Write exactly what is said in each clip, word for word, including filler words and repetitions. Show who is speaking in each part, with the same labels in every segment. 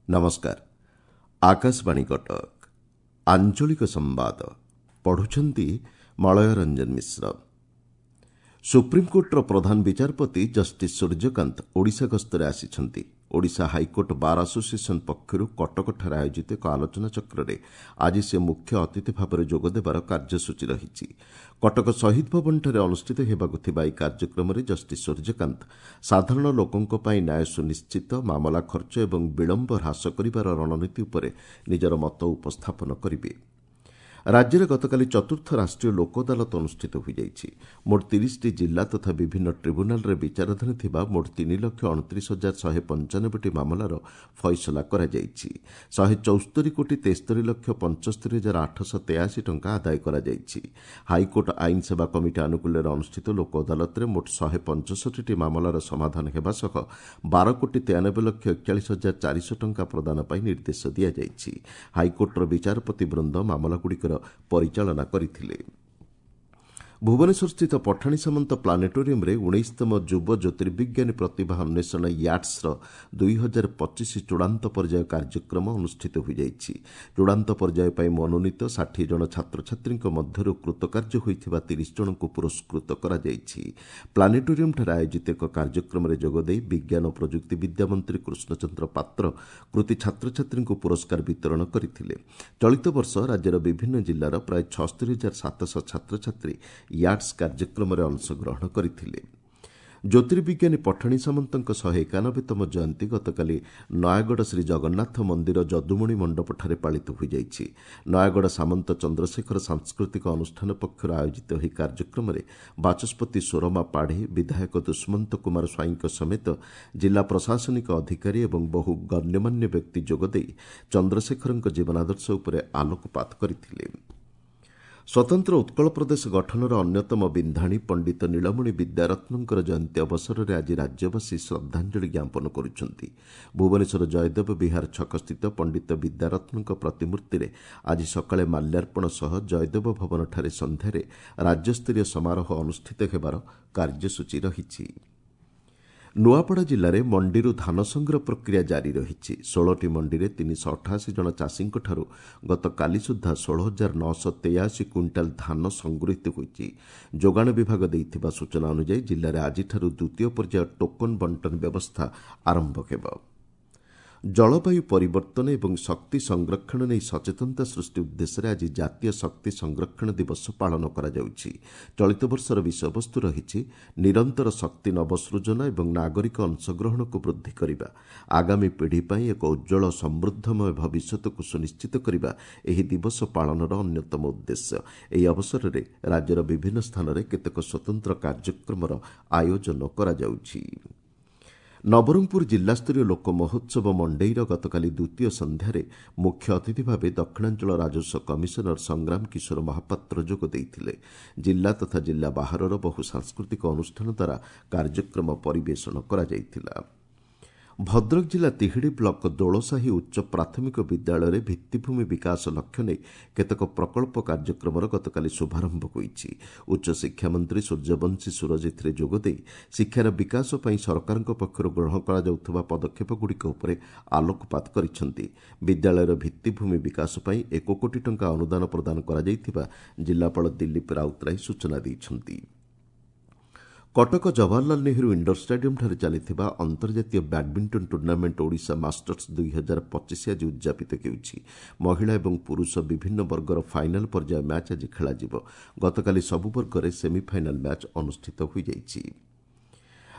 Speaker 1: ନମସ୍କାର, ଆକାଶବାଣୀ କଟକ। ଆଞ୍ଚଳିକ ସମ୍ବାଦ ପଢୁଛନ୍ତି ମଳୟ ରଞ୍ଜନ ମିଶ୍ର। ସୁପ୍ରିମକୋର୍ଟର ପ୍ରଧାନ ବିଚାରପତି ଜଷ୍ଟିସ୍ ସୂର୍ଯ୍ୟକାନ୍ତ ଓଡ଼ିଶା ଗସ୍ତରେ ଆସିଛନ୍ତି। ଓଡ଼ିଶା ହାଇକୋର୍ଟ ବାର୍ ଆସୋସିଏସନ୍ ପକ୍ଷରୁ କଟକଠାରେ ଆୟୋଜିତ ଏକ ଆଲୋଚନାଚକ୍ରରେ ଆଜି ସେ ମୁଖ୍ୟ ଅତିଥି ଭାବରେ ଯୋଗଦେବାର କାର୍ଯ୍ୟସୂଚୀ ରହିଛି। କଟକ ଶହୀଦ ଭବନଠାରେ ଅନୁଷ୍ଠିତ ହେବାକୁ ଥିବା ଏହି କାର୍ଯ୍ୟକ୍ରମରେ ଜଷ୍ଟିସ୍ ସୂର୍ଯ୍ୟକାନ୍ତ ସାଧାରଣ ଲୋକଙ୍କ ପାଇଁ ନ୍ୟାୟ ସୁନିଶ୍ଚିତ, ମାମଲା ଖର୍ଚ୍ଚ ଏବଂ ବିଳମ୍ବ ହ୍ରାସ କରିବାର ରଣନୀତି ଉପରେ ନିଜର ମତ ଉପସ୍ଥାପନ କରିବେ। ରାଜ୍ୟରେ ଗତକାଲି ଚତୁର୍ଥ ରାଷ୍ଟ୍ରୀୟ ଲୋକ ଅଦାଲତ ଅନୁଷ୍ଠିତ ହୋଇଯାଇଛି। ମୋଟ ତିରିଶଟି ଜିଲ୍ଲା ତଥା ବିଭିନ୍ନ ଟ୍ରିବ୍ୟୁନାଲରେ ବିଚାରାଧୀନ ଥିବା ମୋଟ ତିନି ଲକ୍ଷ ଅଣତିରିଶ ହଜାର ଶହେ ପଞ୍ଚାନବେଟି ମାମଲାର ଫଇସଲା କରାଯାଇଛି। ଶହେ ଚଉସ୍ତରୀ କୋଟି ତେସ୍ତରୀ ଲକ୍ଷ ପଞ୍ଚସ୍ତରୀ ହଜାର ଆଠଶହ ତେୟାଅଶୀ ଟଙ୍କା ଆଦାୟ କରାଯାଇଛି। ହାଇକୋର୍ଟ ଆଇନ ସେବା କମିଟି ଆନୁକୂଲ୍ୟରେ ଅନୁଷ୍ଠିତ ଲୋକ ଅଦାଲତରେ ମୋଟ ଶହେ ପଞ୍ଚଷଠିଟି ମାମଲାର ସମାଧାନ ହେବା ସହ ବାର କୋଟି ତେୟାନବେ ଲକ୍ଷ ଏକଚାଳିଶ ହଜାର ଚାରିଶହ ଟଙ୍କା ପ୍ରଦାନ ପାଇଁ ନିର୍ଦ୍ଦେଶ ଦିଆଯାଇଛି। ହାଇକୋର୍ଟର ବିଚାରପତି ବୃନ୍ଦ ମାମଲାଗୁଡ଼ିକର ପରିଚାଳନା କରିଥିଲେ। ଭୁବନେଶ୍ୱରସ୍ଥିତ ପଠାଣି ସାମନ୍ତ ପ୍ଲାନେଟୋରିୟମରେ ଉଣେଇଶତମ ଯୁବ ଜ୍ୟୋତିର୍ବିଜ୍ଞାନୀ ପ୍ରତିଭା ଅନ୍ୱେଷଣ ୟାଟ୍ସର ଦୁଇ ହଜାର ପଚିଶ ଚୂଡ଼ାନ୍ତ ପର୍ଯ୍ୟାୟ କାର୍ଯ୍ୟକ୍ରମ ଅନୁଷ୍ଠିତ ହୋଇଯାଇଛି। ଚୂଡ଼ାନ୍ତ ପର୍ଯ୍ୟାୟ ପାଇଁ ମନୋନୀତ ଷାଠିଏ ଜଣ ଛାତ୍ରଛାତ୍ରୀଙ୍କ ମଧ୍ୟରୁ କୃତକାର୍ଯ୍ୟ ହୋଇଥିବା ତିରିଶ ଜଣଙ୍କୁ ପୁରସ୍କୃତ କରାଯାଇଛି। ପ୍ଲାନେଟୋରିୟମଠାରେ ଆୟୋଜିତ ଏକ କାର୍ଯ୍ୟକ୍ରମରେ ଯୋଗଦେଇ ବିଜ୍ଞାନ ଓ ପ୍ରଯୁକ୍ତିବିଦ୍ୟା ମନ୍ତ୍ରୀ କୃଷ୍ଣଚନ୍ଦ୍ର ପାତ୍ର କୃତି ଛାତ୍ରଛାତ୍ରୀଙ୍କୁ ପୁରସ୍କାର ବିତରଣ କରିଥିଲେ। ଚଳିତ ବର୍ଷ ରାଜ୍ୟର ବିଭିନ୍ନ ଜିଲ୍ଲାର ପ୍ରାୟ ଛସ୍ତରୀ ହଜାର ସାତଶହ ଛାତ୍ରଛାତ୍ରୀ ୟାଟ୍ସ କାର୍ଯ୍ୟକ୍ରମରେ ଅଂଶଗ୍ରହଣ କରିଥିଲେ। ଜ୍ୟୋତିର୍ବିଜ୍ଞାନୀ ପଠାଣି ସାମନ୍ତଙ୍କ ଶହେ ଏକାନବେତମ ଜୟନ୍ତୀ ଗତକାଲି ନୟାଗଡ଼ ଶ୍ରୀ ଜଗନ୍ନାଥ ମନ୍ଦିର ଯଦୁମଣି ମଣ୍ଡପଠାରେ ପାଳିତ ହୋଇଯାଇଛି। ନୟାଗଡ଼ ସାମନ୍ତ ଚନ୍ଦ୍ରଶେଖର ସାଂସ୍କୃତିକ ଅନୁଷ୍ଠାନ ପକ୍ଷରୁ ଆୟୋଜିତ ଏହି କାର୍ଯ୍ୟକ୍ରମରେ ବାଚସ୍ପତି ସୁରମା ପାଢ଼ୀ, ବିଧାୟକ ଦୁଷ୍ମନ୍ତ କୁମାର ସ୍ୱାଇଁଙ୍କ ସମେତ ଜିଲ୍ଲା ପ୍ରଶାସନିକ ଅଧିକାରୀ ଏବଂ ବହୁ ଗଣ୍ୟମାନ୍ୟ ବ୍ୟକ୍ତି ଯୋଗଦେଇ ଚନ୍ଦ୍ରଶେଖରଙ୍କ ଜୀବନାଦର୍ଶ ଉପରେ ଆଲୋକପାତ କରିଥିଲେ। ସ୍ୱତନ୍ତ୍ର ଉତ୍କଳ ପ୍ରଦେଶ ଗଠନର ଅନ୍ୟତମ ବିନ୍ଧାଣୀ ପଣ୍ଡିତ ନୀଳମଣି ବିଦ୍ୟାରତ୍ନଙ୍କର ଜୟନ୍ତୀ ଅବସରରେ ଆଜି ରାଜ୍ୟବାସୀ ଶ୍ରଦ୍ଧାଞ୍ଜଳି ଜ୍ଞାପନ କରୁଛନ୍ତି। ଭୁବନେଶ୍ୱର ଜୟଦେବ ବିହାର ଛକସ୍ଥିତ ପଣ୍ଡିତ ବିଦ୍ୟାରତ୍ନଙ୍କ ପ୍ରତିମୂର୍ତ୍ତିରେ ଆଜି ସକାଳେ ମାଲ୍ୟାର୍ପଣ ସହ ଜୟଦେବ ଭବନଠାରେ ସନ୍ଧ୍ୟାରେ ରାଜ୍ୟସ୍ତରୀୟ ସମାରୋହ ଅନୁଷ୍ଠିତ ହେବାର କାର୍ଯ୍ୟସୂଚୀ ରହିଛି। ନୂଆପଡ଼ା ଜିଲ୍ଲାରେ ମଣ୍ଡିରୁ ଧାନ ସଂଗ୍ରହ ପ୍ରକ୍ରିୟା ଜାରି ରହିଛି। ଷୋହଳଟି ମଣ୍ଡିରେ ତିନିଶହ ଅଠାଅଶୀ ଜଣ ଚାଷୀଙ୍କଠାରୁ ଗତକାଲି ସୁଦ୍ଧା ଷୋହଳ ହଜାର ନଅଶହ ତେୟାଅଶୀ କୁଇଣ୍ଟାଲ ଧାନ ସଂଗୃହୀତ ହୋଇଛି। ଯୋଗାଣ ବିଭାଗ ଦେଇଥିବା ସୂଚନା ଅନୁଯାୟୀ ଜିଲ୍ଲାରେ ଆଜିଠାରୁ ଦ୍ୱିତୀୟ ପର୍ଯ୍ୟାୟ ଟୋକନ ବଣ୍ଟନ ବ୍ୟବସ୍ଥା ଆରମ୍ଭ ହେବ। ଜଳବାୟୁ ପରିବର୍ତ୍ତନ ଏବଂ ଶକ୍ତି ସଂରକ୍ଷଣ ନେଇ ସଚେତନତା ସୃଷ୍ଟି ଉଦ୍ଦେଶ୍ୟରେ ଆଜି ଜାତୀୟ ଶକ୍ତି ସଂରକ୍ଷଣ ଦିବସ ପାଳନ କରାଯାଉଛି। ଚଳିତ ବର୍ଷର ବିଷୟବସ୍ତୁ ରହିଛି ନିରନ୍ତର ଶକ୍ତି ନବସୃଜନ ଏବଂ ନାଗରିକ ଅଂଶଗ୍ରହଣକୁ ବୃଦ୍ଧି କରିବା। ଆଗାମୀ ପିଢ଼ି ପାଇଁ ଏକ ଉଜ୍ଜ୍ୱଳ ସମୃଦ୍ଧମୟ ଭବିଷ୍ୟତକୁ ସୁନିଶ୍ଚିତ କରିବା ଏହି ଦିବସ ପାଳନର ଅନ୍ୟତମ ଉଦ୍ଦେଶ୍ୟ। ଏହି ଅବସରରେ ରାଜ୍ୟର ବିଭିନ୍ନ ସ୍ଥାନରେ କେତେକ ସ୍ୱତନ୍ତ୍ର କାର୍ଯ୍ୟକ୍ରମର ଆୟୋଜନ କରାଯାଉଛି। ନବରଙ୍ଗପୁର ଜିଲ୍ଲାସ୍ତରୀୟ ଲୋକ ମହୋତ୍ସବ ମଣ୍ଡେଇର ଗତକାଲି ଦ୍ୱିତୀୟ ସନ୍ଧ୍ୟାରେ ମୁଖ୍ୟ ଅତିଥି ଭାବେ ଦକ୍ଷିଣାଞ୍ଚଳ ରାଜସ୍ୱ କମିଶନର ସଂଗ୍ରାମ କିଶୋର ମହାପାତ୍ର ଯୋଗ ଦେଇଥିଲେ। ଜିଲ୍ଲା ତଥା ଜିଲ୍ଲା ବାହାରର ବହୁ ସାଂସ୍କୃତିକ ଅନୁଷ୍ଠାନ ଦ୍ୱାରା କାର୍ଯ୍ୟକ୍ରମ ପରିବେଷଣ କରାଯାଇଥିଲା। ଭଦ୍ରକ ଜିଲ୍ଲା ତିହିଡ଼ି ବ୍ଲକ ଦୋଳସାହି ଉଚ୍ଚ ପ୍ରାଥମିକ ବିଦ୍ୟାଳୟରେ ଭିତ୍ତିଭୂମି ବିକାଶ ଲକ୍ଷ୍ୟ ନେଇ କେତେକ ପ୍ରକଳ୍ପ କାର୍ଯ୍ୟକ୍ରମର ଗତକାଲି ଶୁଭାରମ୍ଭ ହୋଇଛି। ଉଚ୍ଚଶିକ୍ଷାମନ୍ତ୍ରୀ ସୂର୍ଯ୍ୟବଂଶୀ ସୂରଜ ଏଥିରେ ଯୋଗଦେଇ ଶିକ୍ଷାର ବିକାଶ ପାଇଁ ସରକାରଙ୍କ ପକ୍ଷରୁ ଗ୍ରହଣ କରାଯାଉଥିବା ପଦକ୍ଷେପଗୁଡ଼ିକ ଉପରେ ଆଲୋକପାତ କରିଛନ୍ତି। ବିଦ୍ୟାଳୟର ଭିତ୍ତିଭୂମି ବିକାଶ ପାଇଁ ଏକ କୋଟି ଟଙ୍କା ଅନୁଦାନ ପ୍ରଦାନ କରାଯାଇଥିବା ଜିଲ୍ଲାପାଳ ଦିଲ୍ଲୀପ ରାଉତରାୟ ସୂଚନା ଦେଇଛନ୍ତି। କଟକ ଜବାହରଲାଲ ନେହେରୁ ଇଣ୍ଡୋର ଷ୍ଟାଡିୟମଠାରେ ଚାଲିଥିବା ଅନ୍ତର୍ଜାତୀୟ ବ୍ୟାଡମିଣ୍ଟନ ଟୁର୍ଣ୍ଣାମେଣ୍ଟ ଓଡ଼ିଶା ମାଷ୍ଟର୍ସ ଦୁଇ ହଜାର ପଚିଶ ଆଜି ଉଦ୍ଯାପିତ ହେଉଛି। ମହିଳା ଏବଂ ପୁରୁଷ ବିଭିନ୍ନ ବର୍ଗର ଫାଇନାଲ ପର୍ଯ୍ୟାୟ ମ୍ୟାଚ୍ ଆଜି ଖେଳାଯିବ। ଗତକାଲି ସବୁ ବର୍ଗରେ ସେମିଫାଇନାଲ ମ୍ୟାଚ୍ ଅନୁଷ୍ଠିତ ହୋଇଯାଇଛି।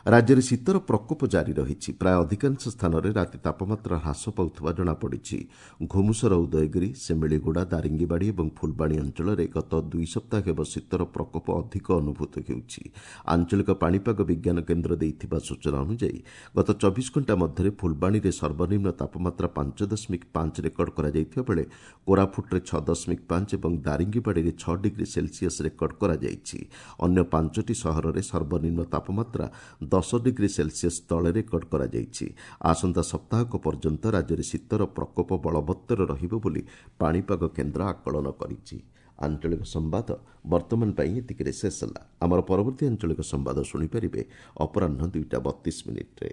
Speaker 1: ରାଜ୍ୟରେ ଶୀତର ପ୍ରକୋପ ଜାରି ରହିଛି। ପ୍ରାୟ ଅଧିକାଂଶ ସ୍ଥାନରେ ରାତି ତାପମାତ୍ରା ହ୍ରାସ ପାଉଥିବା ଜଣାପଡ଼ିଛି। ଘୁମୁସର, ଉଦୟଗିରି, ସେମିଳିଗୁଡ଼ା, ଦାରିଙ୍ଗିବାଡ଼ି ଏବଂ ଫୁଲବାଣୀ ଅଞ୍ଚଳରେ ଗତ ଦୁଇ ସପ୍ତାହ ହେବ ଶୀତର ପ୍ରକୋପ ଅଧିକ ଅନୁଭୂତ ହେଉଛି। ଆଞ୍ଚଳିକ ପାଣିପାଗ ବିଜ୍ଞାନ କେନ୍ଦ୍ର ଦେଇଥିବା ସୂଚନା ଅନୁଯାୟୀ ଗତ ଚବିଶ ଘଣ୍ଟା ମଧ୍ୟରେ ଫୁଲବାଣୀରେ ସର୍ବନିମ୍ନ ତାପମାତ୍ରା ପାଞ୍ଚ ଦଶମିକ ପାଞ୍ଚ ରେକର୍ଡ କରାଯାଇଥିବା ବେଳେ କୋରାପୁଟରେ ଛଅ ଦଶମିକ ପାଞ୍ଚ ଏବଂ ଦାରିଙ୍ଗିବାଡ଼ିରେ ଛଅ ଡିଗ୍ରୀ ସେଲସିୟସ୍ ରେକର୍ଡ କରାଯାଇଛି। ଅନ୍ୟ ପାଞ୍ଚଟି ସହରରେ ସର୍ବନିମ୍ନ ତାପମାତ୍ରା ଦଶ ଡିଗ୍ରୀ ସେଲସିୟସ୍ ତଳେ ରେକର୍ଡ କରାଯାଇଛି। ଆସନ୍ତା ସପ୍ତାହକ ପର୍ଯ୍ୟନ୍ତ ରାଜ୍ୟରେ ଶୀତର ପ୍ରକୋପ ବଳବତ୍ତର ରହିବ ବୋଲି ପାଣିପାଗ କେନ୍ଦ୍ର ଆକଳନ କରିଛି। ଆଞ୍ଚଳିକ ସମ୍ବାଦ ବର୍ତ୍ତମାନ ପାଇଁ ଏତିକିରେ ଶେଷ ହେଲା। ଆମର ପରବର୍ତ୍ତୀ ଆଞ୍ଚଳିକ ସମ୍ବାଦ ଶୁଣିପାରିବେ ଅପରାହ୍ନ ଦୁଇଟା ବତିଶ ମିନିଟ୍ରେ।